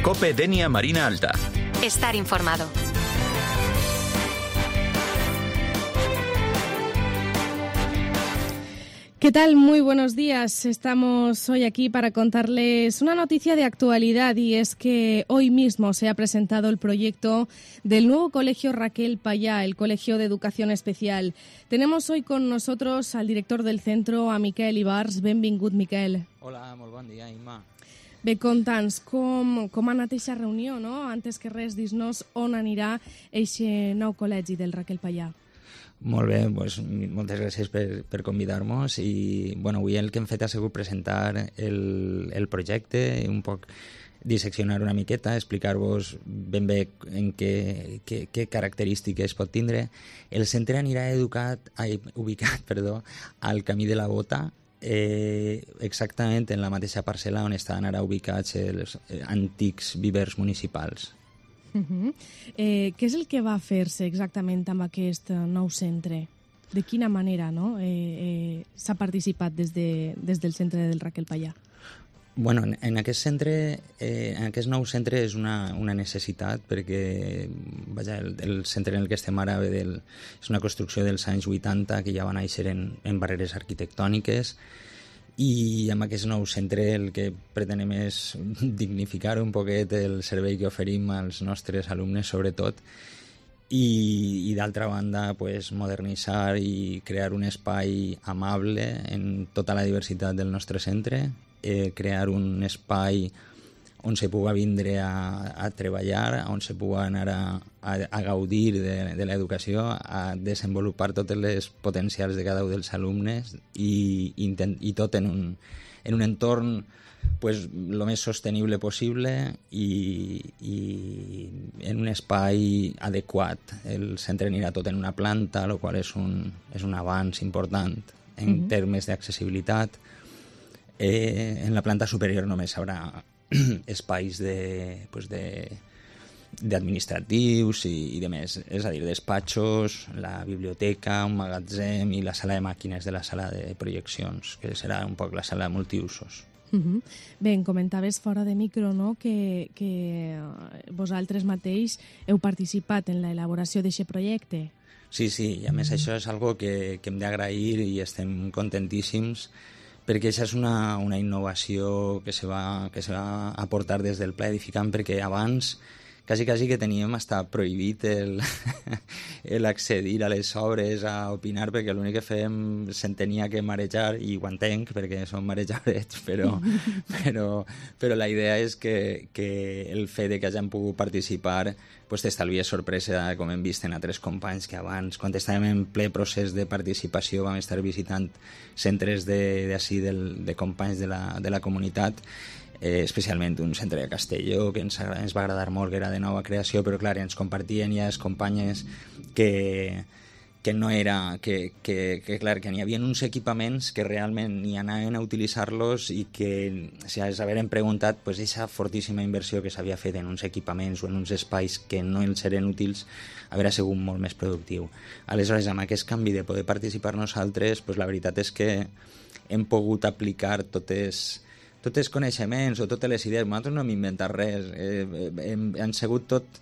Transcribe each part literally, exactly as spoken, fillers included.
COPE Denia Marina Alta. Estar informado. ¿Qué tal? Muy buenos días. Estamos hoy aquí para contarles una noticia de actualidad y es que hoy mismo se ha presentado el proyecto del nuevo colegio Raquel Payá, el Colegio de Educación Especial. Tenemos hoy con nosotros al director del centro, a Miquel Ibars. Benvingut, Miquel. Hola, molt bon dia, Imma. Bé, conta'ns com, com ha anat aquesta reunió, no? Antes que res, dis-nos on anirà aquest nou col·legi del Raquel Payá. Molt bé, doncs, moltes gràcies per, per convidar-nos i bueno, avui el que hem fet ha sigut presentar el, el projecte, un poc disseccionar una miqueta, explicar-vos ben bé en què, què, què característiques pot tindre. El centre anirà educat, ai, ubicat perdó, al Camí de la Bota, eh, exactament en la mateixa parcel·la on estan ara ubicats els antics vivers municipals. Uh-huh. Eh, què és el que va fer-se exactament amb aquest nou centre? De quina manera, no? eh, eh, s'ha participat des, de, des del centre del Raquel Payá? Bueno, en, en aquest centre, eh, en aquest nou centre és una, una necessitat perquè vaja, el, el centre en el que estem ara del, és una construcció dels anys vuitanta que ja va néixer en, en barreres arquitectòniques i amb aquest nou centre el que pretenem és dignificar un poquet el servei que oferim als nostres alumnes, sobretot, i, i d'altra banda pues, modernitzar i crear un espai amable en tota la diversitat del nostre centre, eh, crear un espai on se puga vindre a, a treballar, on se puga anar a, a, a gaudir de, de l'educació, a desenvolupar totes les potencials de cada un dels alumnes i, intent, i tot en un, en un entorn pues, lo més sostenible possible i, i en un espai adequat. El centre anirà tot en una planta, el qual és un, és un avanç important en uh-huh. termes d'accessibilitat. Eh, en la planta superior només haurà espais de, pues de, d'administratius i, i de més, és a dir, despatxos, la biblioteca, un magatzem i la sala de màquines de la sala de projeccions, que serà un poc la sala de multiusos. Uh-huh. Bé, em comentaves fora de micro, no?, que, que vosaltres mateix heu participat en l'elaboració d'aquest projecte. Sí, sí, i a més uh-huh. això és algo que, que hem d'agrair i estem contentíssims perquè això és una, una innovació que se, va, que se va aportar des del pla edificant, perquè abans quasi, quasi que teníem hasta prohibit el, el accedir a les obres, a opinar, perquè l'únic que fèiem se'n tenia que marejar, i ho entenc, perquè som marejadets, però, però, però la idea és que, que el fet de que hagin pogut participar pues, t'estalvia sorpresa, com hem vist en altres companys que abans, quan estàvem en ple procés de participació, vam estar visitant centres de, d'ací, del, de companys de la, de la comunitat, eh, especialment un centre de Castelló que ens, ens va agradar molt, que era de nova creació, però clar, ens compartien ja les companyes que, que no era, que, que, que clar, que n'hi havia uns equipaments que realment ni anaven a utilitzar-los i que si s'haveren preguntat, pues, aquesta fortíssima inversió que s'havia fet en uns equipaments o en uns espais que no els eren útils haurà sigut molt més productiu. Aleshores, amb aquest canvi de poder participar nosaltres, pues, la veritat és que hem pogut aplicar totes tots els coneixements o totes les idees. Nosaltres no hem inventat res, eh, hem, han sigut tot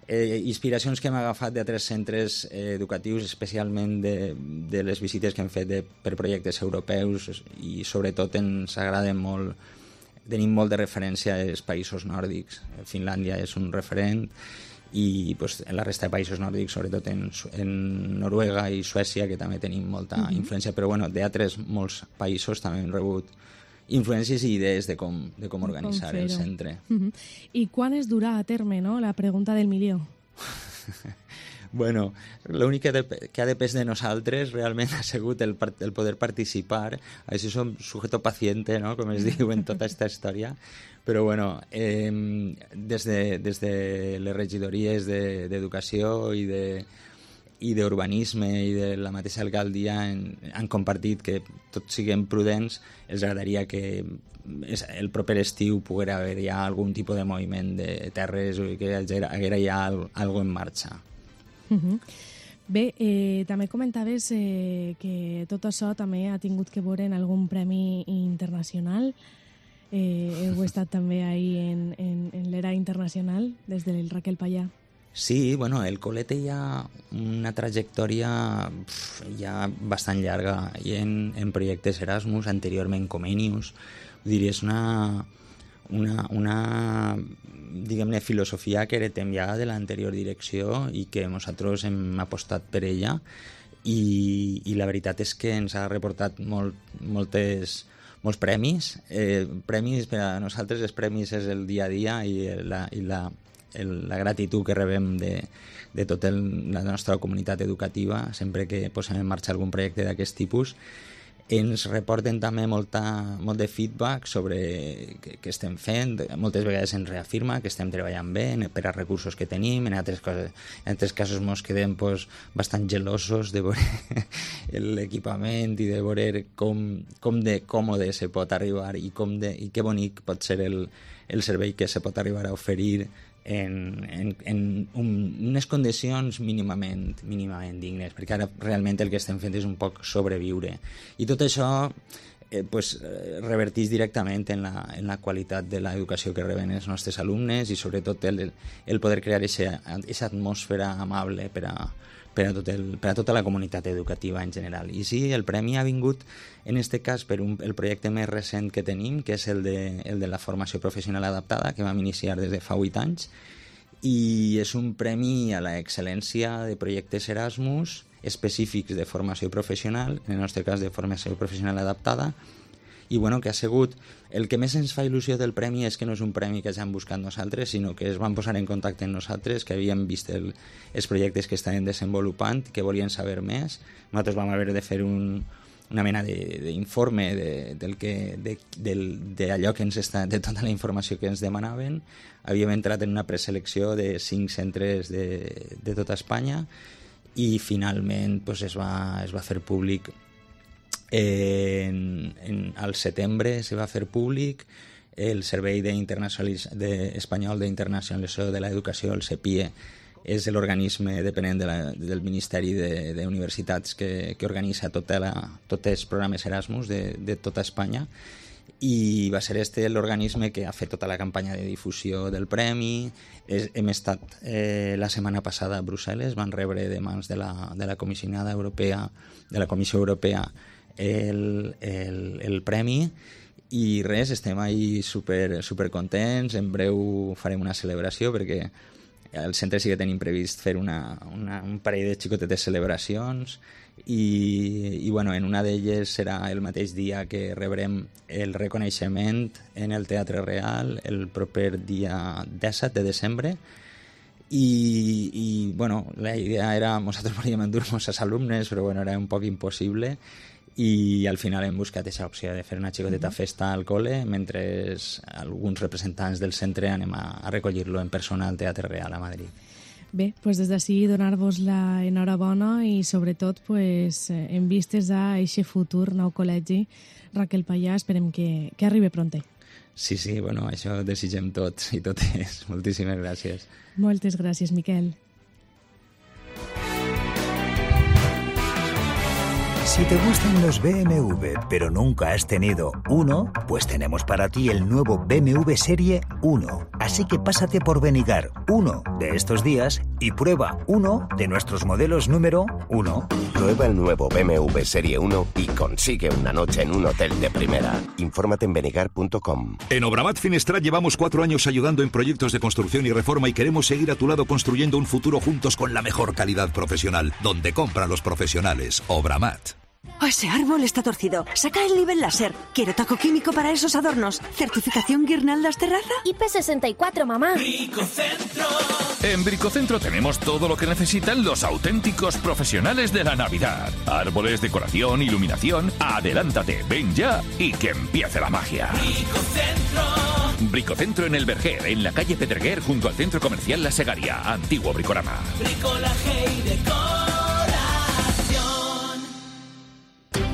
eh, inspiracions que hem agafat d'altres centres eh, educatius, especialment de, de les visites que hem fet de, per projectes europeus, i sobretot ens agraden molt, tenim molt de referència als països nòrdics. Finlàndia és un referent i pues, en la resta de països nòrdics, sobretot en, en Noruega i Suècia, que també tenim molta uh-huh. influència, però bueno, d'altres molts països també hem rebut influències i idees de com, de com organitzar com el centre. Uh-huh. I quan es durà a terme, no?, la pregunta del milió? Bueno, l'únic que, de, que ha depès de nosaltres realment ha sigut el, el poder participar. Així som sujeto paciente, no?, com es diu en tota aquesta història. Però, bueno, eh, des, de, des de les regidories de, d'educació i de i d'urbanisme i de la mateixa alcaldia han, han compartit que tots siguem prudents. Els agradaria que el proper estiu poguera haver ja algun tipus de moviment de terres o que haguera ja alguna en marxa. Uh-huh. Bé, eh, també comentaves eh, que tot això també ha tingut que veure en algun premi internacional. eh, heu estat també ahí en, en, en l'era internacional, des del Raquel Pallà. Sí, bueno, el col·le té ja una trajectòria pf, ja bastant llarga i en, en projectes Erasmus, anteriorment Comenius. Vull dir, és una, una, una diguem-ne, filosofia que heretem ja de l'anterior direcció i que nosaltres hem apostat per ella i, i la veritat és que ens ha reportat molt, moltes, molts premis. Eh, premis per a nosaltres, els premis és el dia a dia i la, i la El, la gratitud que rebem de, de tota la nostra comunitat educativa sempre que posem en marxa algun projecte d'aquest tipus. Ens reporten també molta, molt de feedback sobre què, què estem fent. Moltes vegades ens reafirma que estem treballant bé per als recursos que tenim. En altres, coses, en altres casos ens quedem pues, bastant gelosos de veure l'equipament i de veure com, com de còmode se pot arribar i, com de, i que bonic pot ser el, el servei que se pot arribar a oferir en, en, en un, unes condicions mínimament, mínimament dignes, perquè ara realment el que estem fent és un poc sobreviure. I tot això eh, pues, reverteix directament en la, en la qualitat de l'educació que reben els nostres alumnes i sobretot el, el poder crear aquesta atmosfera amable per a, per a, tot el, per a tota la comunitat educativa en general. I sí, el premi ha vingut en aquest cas per un, el projecte més recent que tenim, que és el de, el de la formació professional adaptada, que vam iniciar des de fa vuit anys, i és un premi a l'excel·lència de projectes Erasmus específics de formació professional, en el nostre cas de formació professional adaptada, i bueno, que ha sigut... El que més ens fa il·lusió del premi és que no és un premi que ja hem buscat nosaltres, sinó que es van posar en contacte amb nosaltres, que havíem vist el, els projectes que estaven desenvolupant, que volien saber més. Nosaltres vam haver de fer un, una mena d'informe de, de, del que, de, del, de allò que ens està, de tota la informació que ens demanaven. Havíem entrat en una preselecció de cinc centres de, de tota Espanya i finalment pues, es, va, es va fer públic. En, en, al setembre se va fer públic el Servei de de Espanyol d'Internacionalització de l'Educació, el CEPIE, és l'organisme dependent de la, del Ministeri d'Universitats que, que organitza tota la, tots els programes Erasmus de, de tota Espanya, i va ser este l'organisme que ha fet tota la campanya de difusió del premi. És, hem estat eh, la setmana passada a Brussel·les, van rebre de mans de la, de la comissionada europea, de la Comissió Europea, el, el, el premi, i res, estem ahí super, super contents. En breu farem una celebració perquè al centre sí que tenim previst fer una, una, un parell de xicotetes celebracions i, i bueno, en una d'elles serà el mateix dia que rebrem el reconeixement en el Teatre Real el proper dia disset de desembre. I, i bueno, la idea era, nosaltres volíem endur-nos als alumnes, però bueno, era un poc impossible, i al final hem buscat aquesta opció de fer una xicoteta festa al col·le mentre alguns representants del centre anem a, a recollir-lo en persona al Teatre Real a Madrid. Bé, doncs des d'ací donar-vos la enhorabona i sobretot pues, en vistes a aquest futur nou col·legi Raquel Pallà, esperem que, que arribi pronte. Sí, sí, bueno, això desitgem tots i totes. Moltíssimes gràcies. Moltes gràcies, Miquel. Si te gustan los B M W, pero nunca has tenido uno, pues tenemos para ti el nuevo B M W Serie uno. Así que pásate por Benigar uno de estos días y prueba uno de nuestros modelos número uno. Prueba el nuevo B M W Serie uno y consigue una noche en un hotel de primera. Infórmate en benigar punto com. En Obramat Finestrat llevamos cuatro años ayudando en proyectos de construcción y reforma y queremos seguir a tu lado construyendo un futuro juntos con la mejor calidad profesional, donde compran los profesionales. Obramat. Oh, ese árbol está torcido. Saca el nivel láser. Quiero taco químico para esos adornos. ¿Certificación Guirnaldas Terraza? I P sesenta y cuatro, mamá. Bricocentro. En Bricocentro tenemos todo lo que necesitan los auténticos profesionales de la Navidad. Árboles, decoración, iluminación. Adelántate, ven ya y que empiece la magia. Bricocentro. Bricocentro en el Verger, en la calle Pedreguer, junto al centro comercial La Segaria. Antiguo Bricorama. Bricolaje y decor.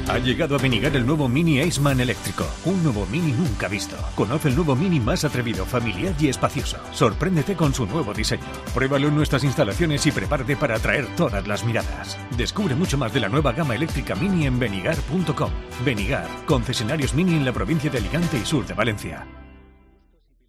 Ha llegado a Benigar el nuevo Mini Aceman eléctrico. Un nuevo Mini nunca visto. Conoce el nuevo Mini más atrevido, familiar y espacioso. Sorpréndete con su nuevo diseño. Pruébalo en nuestras instalaciones y prepárate para atraer todas las miradas. Descubre mucho más de la nueva gama eléctrica Mini en benigar punto com. Benigar, concesionarios Mini en la provincia de Alicante y sur de Valencia.